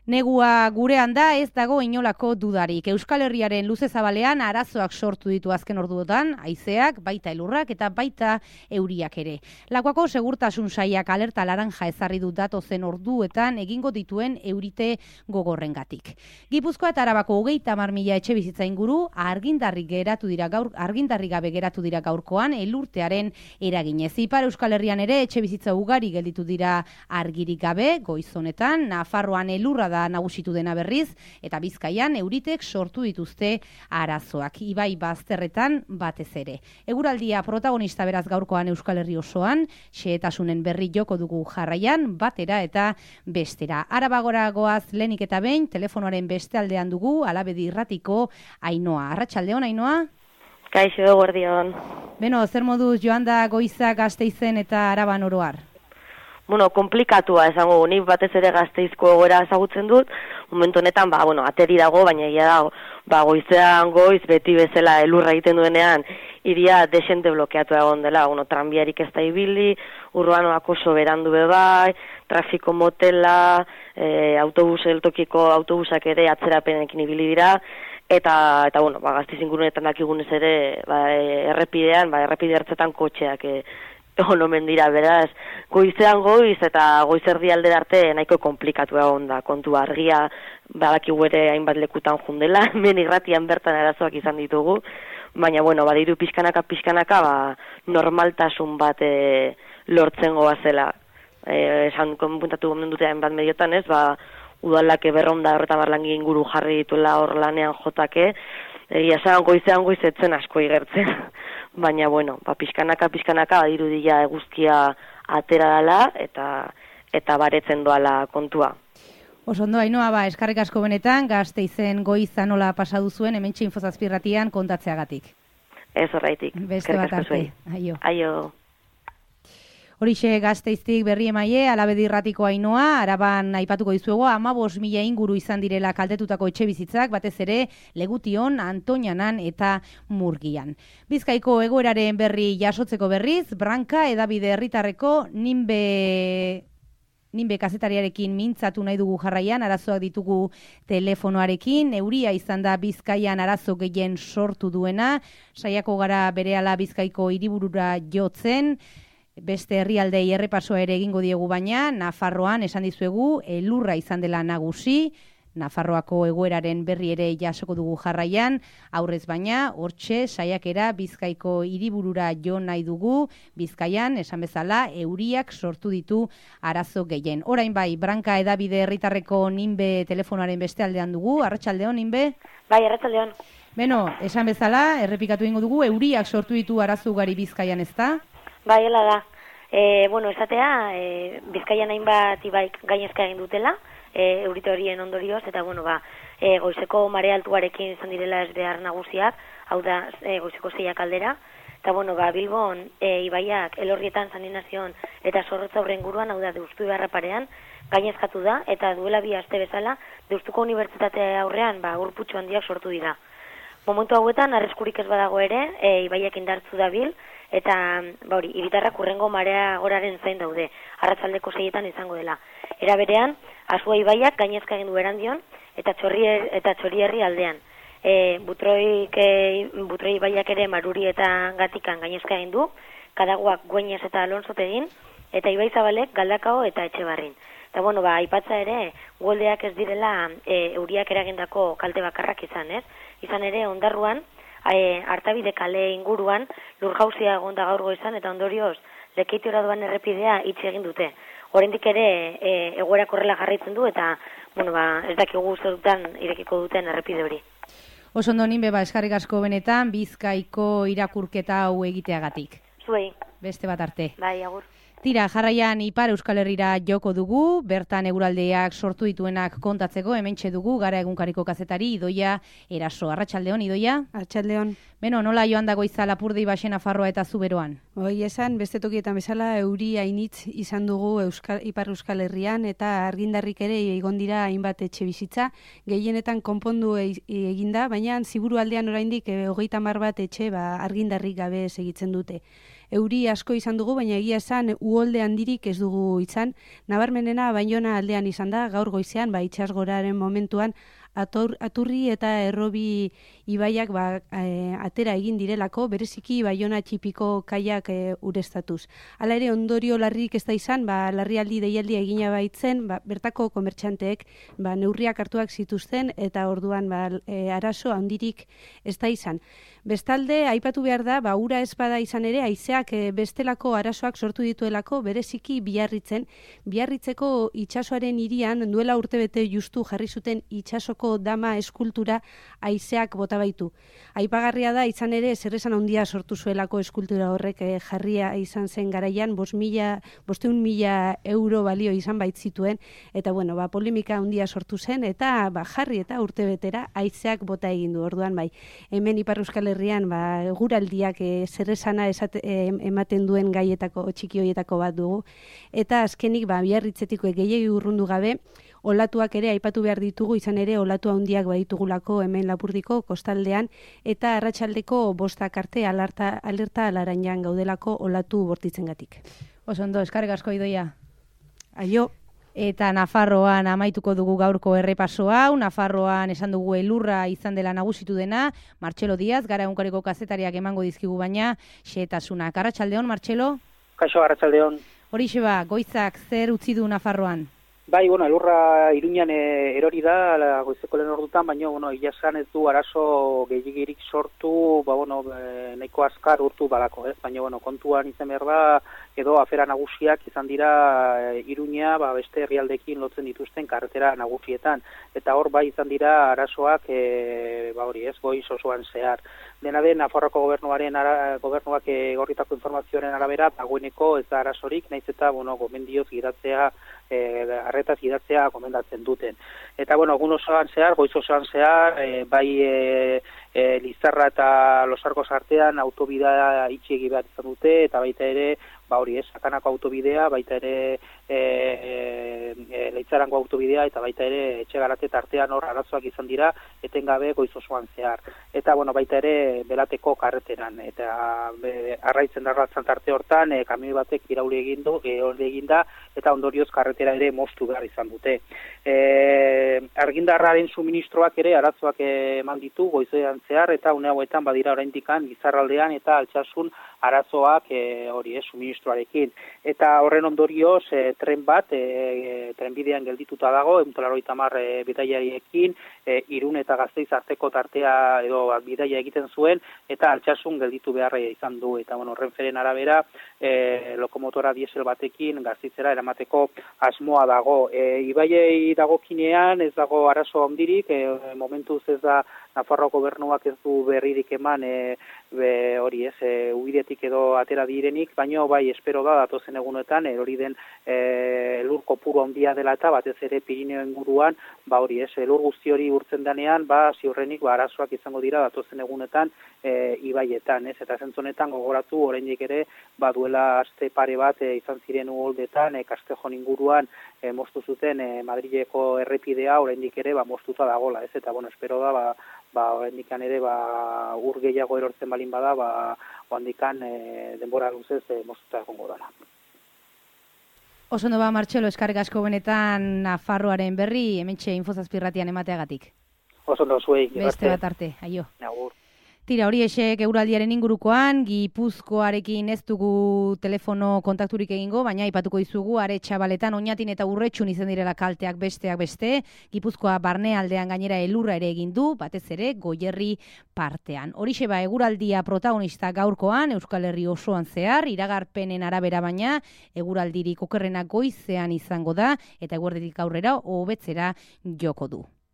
Negua gurean da, ez dago inolako dudarik. Euskal Herriaren luze zabalean arazoak sortu ditu azken orduotan, haizeak, baita elurrak eta baita euriak ere. Lakuako segurtasun sailak alerta laranja ezarri du datozen orduetan egingo dituen eurite gogorrengatik. Gipuzkoa eta Arabako 30.000 etxebizitza inguru argindarri gabe geratu dira gaurkoan elurtearen eraginez. Ipar Euskal Herrian ere etxebizitza ugari gelditu dira argirik gabe, goiz honetan, Nafarroan elurra da nagusitu dena berriz, eta Bizkaian euritek sortu dituzte arazoak, ibai bazterretan batez ere. Eguraldia protagonista beraz gaurkoan Euskal Herri osoan, xehetasunen berri joko dugu jarraian, batera eta bestera. Arabagora goaz lehenik eta behin, telefonoaren beste aldean dugu, Alabedi Irratiko Ainhoa. Arratsaldeon, Ainhoa? Kaixo, guardion. Beno, zer moduz joan da Goiza, Gasteizen eta Araban oroar? Komplikatua esango, nik batez ere Gasteizko egoera ezagutzen dut, momentu honetan, ateri dago, baina egia da, goizean goiz, beti bezala elurra egiten duenean, iria desente blokeatu egon dela, tranbiarik ez da ibili, urbanoak oso berandu bebai, trafiko motela, eltokiko autobusak ere atzerapenekin ibili dira, eta Gasteiz ingurunetan dakigunez ere, errepidean, errepide hartzetan kotxeak, omen dira, beraz, goizean goiz eta goizerdi aldera arte nahiko komplikatu egon da, kontu argia, badakigu ere hainbat lekutan jundela, hemen irratian bertan arazoak izan ditugu, baina, badiru pixkanaka, normaltasun bat lortzen goazela. Esan konpuntatu gomen dute hainbat mediotan ez, udalak berronda horretan barlangi inguru jarri dituela hor lanean jotake, esan goizean goizetzen asko igertzen. Baina, pixkanaka badirudia eguzkia atera dela eta baretzen doala kontua. Osondo, Ainhoa, eskarrik asko benetan, Gasteizen Goiza nola pasadu zuen, hementxe Infozazpirratian kontatzeagatik. Ez horreitik. Beste bat arte. Aio. Horixe Gasteiztik berri emaie, Alabedi Irratiko Ainhoa, Araban aipatuko dizuego, 15.000 inguru izan direla kaltetutako etxebizitzak, batez ere Legution, Antoñanan eta Murgian. Bizkaiko egoeraren berri jasotzeko berriz, Branka edabide herritarreko Ninbe kazetariarekin mintzatu nahi dugu jarraian, arazoak ditugu telefonoarekin, euria izan da Bizkaian arazo gehien sortu duena, saiako gara berehala Bizkaiko hiriburura jotzen, beste herrialdei errepasoa ere egingo diegu baina, Nafarroan esan dizuegu elurra izan dela nagusi, Nafarroako egoeraren berri ere jasoko dugu jarraian, aurrez baina, hortxe saiakera Bizkaiko hiriburura jo nahi dugu, Bizkaian, esan bezala, euriak sortu ditu arazo gehien. Orain bai, Branka edabide herritarreko Ninbe telefonoaren beste aldean dugu, arratsaldeon, Ninbe? Bai, arratsaldeon. Beno, esan bezala, errepikatu egingo dugu, euriak sortu ditu arazo ugari Bizkaian, ezta? Bai, hela da. Esatea, Bizkaian hainbat ibaik gainezka egin dutela, eurite horien ondorioz, eta goizeko mare altuarekin izan direla ez behar nagusiak, hau da goizeko 6 aldera, eta Bilbon ibaiak Elorrietan, San Inazion eta Zorrotza Aurrenguruan, hau da Deustu Ibarra parean, gainezkatu da, eta duela 2 aste bezala, Deustuko Unibertsitate aurrean urputxo handiak sortu dira. Momentu hauetan, arriskurik ez badago ere, ibaiak indartzu dabil, eta hiritarrak hurrengo marea goraren zain daude, arratsaldeko 6etan izango dela. Era berean, Asua ibaiak gainezka egin du Erandion eta Txorierri aldean. Butroi ibaiak ere Maruri eta Gatikan gainezka egin du, Kadaguak Güeñez eta Alonsopegin, eta Ibai Zabalek Galdakao eta Etxebarrin. Eta aipatza ere, goldeak ez direla euriak eragindako kalte bakarrak izan, ez? Izan ere, Ondarruan, Artabide kale inguruan lurjauzia egon da gaur goizan eta ondorioz Lekeitiora doan errepidea itxi egin dute. Oraindik ere egoera korrela jarraitzen du eta ez dakigu zerutan irekiko duten errepide hori. Osondo, Ninbe, eskarrik asko benetan Bizkaiko irakurketa hau egiteagatik. Zuei. Beste bat arte. Bai, agur. Tira, jarraian Ipar Euskal Herrira joko dugu, bertan eguraldeak sortu dituenak kontatzeko, hementxe dugu, Gara egunkariko kazetari, Idoia Eraso. Arratsaldeon, Idoia? Arratsaldeon. Beno, nola joan dago Goiza, Lapurdi, Baxe, Nafarroa eta Zuberoan? Esan, beste tokietan bezala, euri hainitz izan dugu Ipar Euskal Herrian, eta argindarrik ere egon dira hainbat etxe bizitza, gehienetan konpondu eginda, baina ziburu aldean oraindik 30 bat etxe argindarrik gabe segitzen dute. euri asko izan dugu, baina egia esan uholde handirik ez dugu izan. Nabarmenena Baiona aldean izan da, gaur goizean, itsasgoraren momentuan, Aturri eta Errobi ibaiak atera egin direlako, bereziki Baiona txipiko kaiak ureztatuz. Hala ere, ondorio larrik ez da izan, larrialdi deialdia egina baitzen, bertako komertxanteek neurriak hartuak zituzten, eta orduan arazo handirik ez da izan. Bestalde, aipatu behar da, ura ez bada izan ere, haizeak bestelako arazoak sortu dituelako, bereziki Biarritzeko itsasoaren hirian duela urtebete justu jarri zuten itsasoko dama eskultura haizeak bota baitu. Aipagarria da, izan ere, zeresan handia sortu zuelako eskultura horrek jarria izan zen garaian, 500.000 euro balio izan baitzituen, eta polemika handia sortu zen, eta jarri eta urtebetera haizeak bota egin du. Orduan hemen Ipar Euskal Herrian eguraldiak zeresana ematen duen gaietako txiki hoietako bat dugu, eta azkenik Biarritzetiko gehiegi urrundu gabe, olatuak ere aipatu behar ditugu, izan ere olatu handiak baditugulako hemen Lapurdiko kostaldean, eta arratsaldeko 5 arte alerta alaranjan gaudelako olatu bortitzengatik. Oso ondo, eskerrik asko Idoia. Aio. Eta Nafarroan amaituko dugu gaurko errepaso hau. Nafarroan esan dugu elurra izan dela nagusitu dena. Martxelo Diaz, gara egunkariko kazetariak emango dizkigu baina xehetasunak. Arratsaldeon, Martxelo? Kaixo, arratsaldeon. Horixe goizak zer utzi du Nafarroan? Bai, elurra Iruñan erori da goizeko lehen ordutan, baina egia esan ez du arazo gehiegirik sortu, nahiko azkar urtu balako, ez? Baina kontuan izan behar da, edo afera nagusiak izan dira Iruña, beste herrialdekin lotzen dituzten karretera nagusietan, eta hor izan dira arazoak goiz osoan zehar. Dena den, Nafarroako gobernuak egorritako informazioaren arabera, dagoeneko ez da arazorik, nahiz eta gomendioz gidatzea, arretaz gidatzea gomendatzen duten. Eta egun osoan zehar, goiz osoan zehar, Lizarra eta Losarkoz artean autobidea itxiegi behar izan dute, eta baita ere, Sakanako autobidea, baita ere Leitzarango autobidea, eta baita ere Etxegarate tartean hor arazoak izan dira, etengabe goiz osoan zehar. Eta baita ere Belateko karreteran, eta arraitzen darratzan tarte hortan, kamioi batek irauli egin da, eta ondorioz karretera ere moztu behar izan dute. Argindarraren suministroak ere arazoak eman ditu goizean zehar, eta une hauetan badira oraindikan Gizarraldean eta Altsasun arazoak suministroarekin. Eta horren ondorioz tren bat trenbidean geldituta dago, 180 bidaiariekin, Irun eta Gasteiz arteko tartea edo bidaia egiten zuen, eta Altsasun gelditu beharra izan du. Eta Renferen arabera lokomotora diesel batekin Gasteizera eramateko asmoa dago. Ibaiei dagokinean ez dago arazo handirik, momentuz ez da Nafarroa gobernuak ez du berririk eman ubidetik edo atera direnik, baina espero da datozen egunetan hori den elur kopuru handia dela eta batez ere Pirineo inguruan elur guzti hori urtzen denean ziurrenik arazoak izango dira datozen egunetan ibaietan, eta zentzonetan gogoratu oraindik ere duela aste pare bat izan ziren uholdetan Castejon inguruan moztu zuten Madrileko errepidea oraindik ere moztuta dagola, eta espero da handikan ere ur gehiago erortzen balin bada, handikan denbora luzez moztuta egongo dela. Oso ondo Martxelo, eskerrik asko benetan Nafarroaren berri, hementxe Infozazpirratian emateagatik. Oso ondo zuei. Beste bat arte, aio. Agur. Tira, hori esek eguraldiaren ingurukoan, Gipuzkoarekin ez dugu telefono kontakturik egingo, baina aipatuko dizugu, are Txabaletan, Oñatin eta Urretxun izan direla kalteak besteak beste, Gipuzkoa barnealdean gainera elurra ere egin du, batez ere Goierri partean. Horixe eguraldia protagonista gaurkoan, Euskal Herri osoan zehar, iragarpenen arabera baina, eguraldirik okerrena goizean izango da, eta eguerditik aurrera hobetzera joko du.